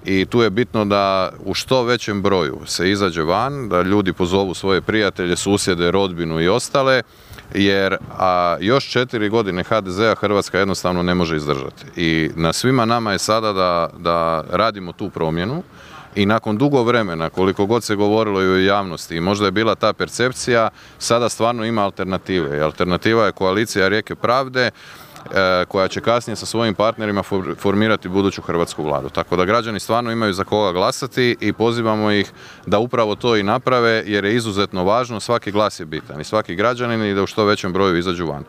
i tu je bitno da u što većem broju se izađe van, da ljudi pozovu svoje prijatelje, susjede, rodbinu i ostale, jer još 4 godine HDZ-a Hrvatska jednostavno ne može izdržati. I na svima nama je sada da radimo tu promjenu i nakon dugo vremena, koliko god se govorilo i u javnosti i možda je bila ta percepcija, sada stvarno ima alternative. I alternativa je koalicija Rijeke pravde, koja će kasnije sa svojim partnerima formirati buduću hrvatsku vladu. Tako da građani stvarno imaju za koga glasati i pozivamo ih da upravo to i naprave, jer je izuzetno važno, svaki glas je bitan i svaki građanin i da u što većem broju izađu van.